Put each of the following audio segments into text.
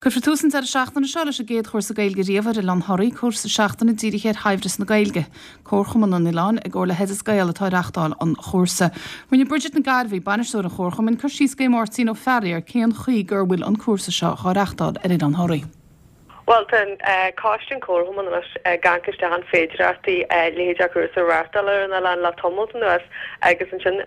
Cuirfear tús an deireadh seachtaine seo leis an gcéad chúrsa Gaeilge riamh ar Oileán Thoraí, cúrsa seachtaine dírithe ar shaibhreas na Gaeilge. Comharchumann an oileáin, i gcomhar le hOideas Gael atá ag reachtáil an chúrsa. Rinne Bridget Nic Gairbhí, bainisteoir an Chomharchumainn, cur síos go Máirtín Ó Fearraigh ar cén chaoi gur bhfuil an cúrsa seo dhá reachtáil ar Oileán Thoraí. Bhuel, tá an coiste an Comharchumann anois ag amharc isteach an féidireachtaí leithéid de chúrsa a reáchtáil ar an oileán le tamalt anuas agus ansin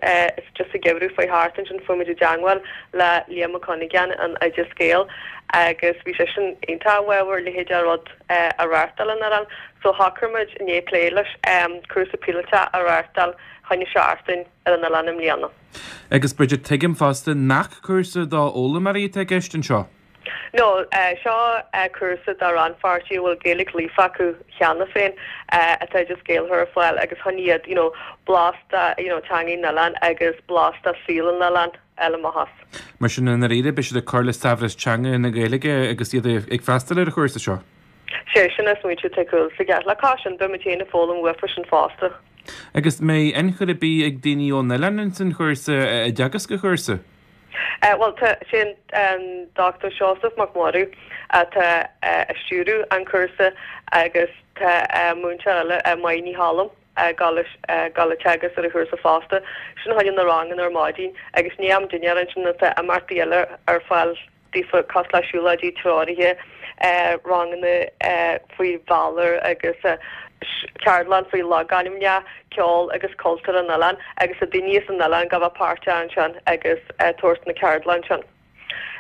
just sa gheimhreadh faoi thart ansin fuair muid i dteangmháil le Liam Mac Cuinneagáin in Oideas Gael agus bhí seisean iontach i bhfabhar leithéid de rud a reáchtáil ar an oileán so shocraigh muid i ndiaidh plé leis cúrsa píolótach a reáchtáil choinne seachtain ar an oileán i mbliana. Agus Bridget, tuigim fosta nach cúrsa do fhoghlaimeoirí atá i gceist anseo? No, seo cúrsa do rannpháirtithe a bhfuil Gaeilge líofa acu cheana féin atá Oideas Gael a chur ar fáil agus chun iad, you know, blas de, you know, teangaidh an oileáin agus blas de saol an oileáin a fháil amach as. Mar sin, i ndáiríre, beidh siad ag cur le saibhreas teanga na Gaeilge agus iad ag freastal ar an chúrsa seo. Sé sin an smaointiú atá ar chúl sa gceart le cois sin, beidh muid féin ag foghlaim uafa sin fosta. Agus an mbeidh ionchur ar bith ag daoine ón oileán ins an chúrsa, i dteagasc an chúrsa? Bhuel, tá, sé an Dr Seosamh Mac Murchú atá ag stiúradh an chúrsa agus tá múinteoir eile, Máire Ní Cholm, ag dul ag teagasc ar an chúrsa fosta. Sin chuile na ranganna ar maidin agus i ndiaidh am dinnéir ansin tá imeachtaí eile ar fáil. daofa cosúil le siúlóidí treoraithe, ranganna faoi Bhalor agus ceardlann faoi logainmneacha, ceol agus cultúr an oileáin agus tá daoine as an oileán ag gabháil a bheith páirteach ansin agus tabhairt na ceardlann sin.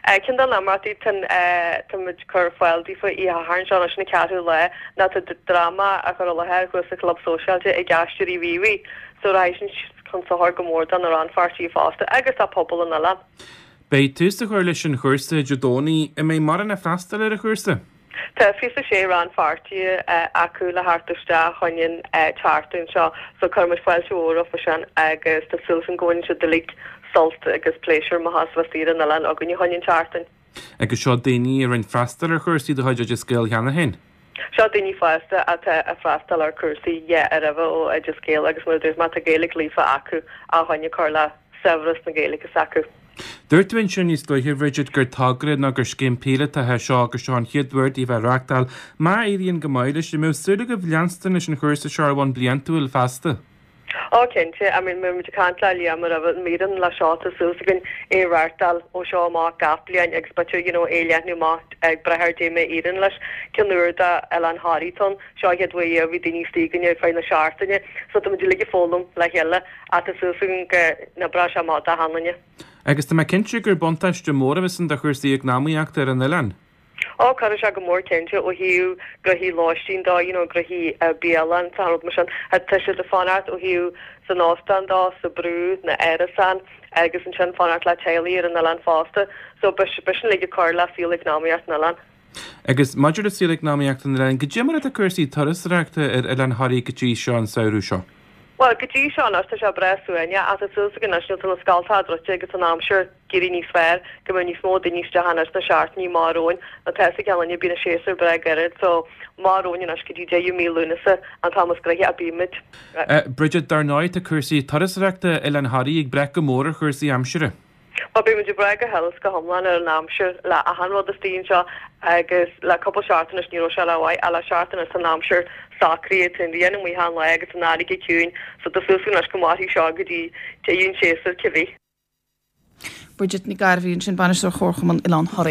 Ceann de na himeachtaí tá muid ag cur ar fáil daofa oíche Shathairn seo anois an ceathrú lá ná tá dráma á chur i láthair thuas sa Chlub Sóisialta ag Aisteoirí Mhíobhaigh so rachaidh sin chun sochair go mór do na rannpháirtithe fosta agus do phobal an oileáin. Beidh tús á chur leis an chúrsa Dé Domhnaigh. An mbeidh mórán ag freastal ar an chúrsa? Tá 26 rannpháirtí acu le theacht isteach chun an tseachtain seo so cuirfidh muid fáilte mhór roimhe sin agus tá súil againn go bhaineann siad uilig sult agus pléisiúr amach as bheith saor ar an oileán againne chun an tseachtain. Agus seo daoine a rinne freastal ar chúrsaí de chuid Oideas Gael cheana féin? Seo daoine fásta atá ag freastal ar chúrsaí yeah roimhe ó Oideas Gael agus mar a dúirt mé tá Gaeilge líofa acu a choinne cur le saibhreas na Gaeilge s'acu. Dúirt tú ansin níos luaithe, Bridget, gur togra nó gur scéim píolótach é seo agus seo an chéad uair daoibh é a reáchtáil. Má éiríonn go maith leis, an mbeadh súil agaibh leanstan leis an chúrsa seo ar bhonn bliantúil feasta? Ó cinnte, I mean bhí muid ag caint le Liam roimhe an míreann le seo tá súil againn é a reáchtáil ó seo amach gach bliain agus b'fhéidir you know é a leathnú amach ag brath ar dé mar a éiríonn leis. Ceann úr do Oileán Thoraí atá ann, seo an chéad uair a bhí daoine istigh againne ar feadh na seachtaine so tá muid uilig ag foghlaim le chéile ach tá súil againn go n-oibreoidh sé amach do achan duine. Agus tá mé cinnte gur buntáiste mór a bheas ann do chúrsaí eacnamaíochta ar an oileán. Ó, cuirfidh sé go mór cinnte ó thaobh gnoithí lóistín dó, you know gnoithí bialann is achan rud mar sin. Tá siad ag fanacht ó thaobh san óstán dó, sa brú, na árasáin agus ansin fanacht le teaghlaigh ar an oileán fosta. So beidh sin uilig ag cur le saol eacnamaíocht an oileáin. Agus maidir le saol eacnamaíocht an oileáin, goidé mar atá cúrsaí turasóireachta ar Oileán Thoraí go dtí seo an samhradh seo? Bhuel, go dtí seo anois tá sé breá suaimhneach ach tá súil againn anois nuair atá na scoltacha druidte agus an aimsir ag éirí níos fearr go mbeidh níos mó daoine isteach anois sna seachtainí amach romhainn. Nó tá a fhios ag achan duine bíonn an séasúr breá gairid so amach romhainn anois go dtí deireadh mí Lúnasa an t-am is gnoithí a bímid. Bridget, dar ndóigh tá cúrsaí turasóireachta Oileán Thoraí ag brath go mór ar chúrsaí aimsire. Bhuel, beidh muid ag brath go huile is go hiomlán ar an aimsir le achan rud istigh anseo agus le cúpla seachtain anois ní raibh sé rómhaith ach le seachtain anois tá an aimsir socraithe, tá an ghrian amuigh achan lá agus an fharraige ciúin so tá súil againn anois go mairfidh seo go dtí deireadh an tséasúir cibé. Bridget Nic Gairbhí ansin, Bainisteoir Chomharchumann Oileán Thoraí.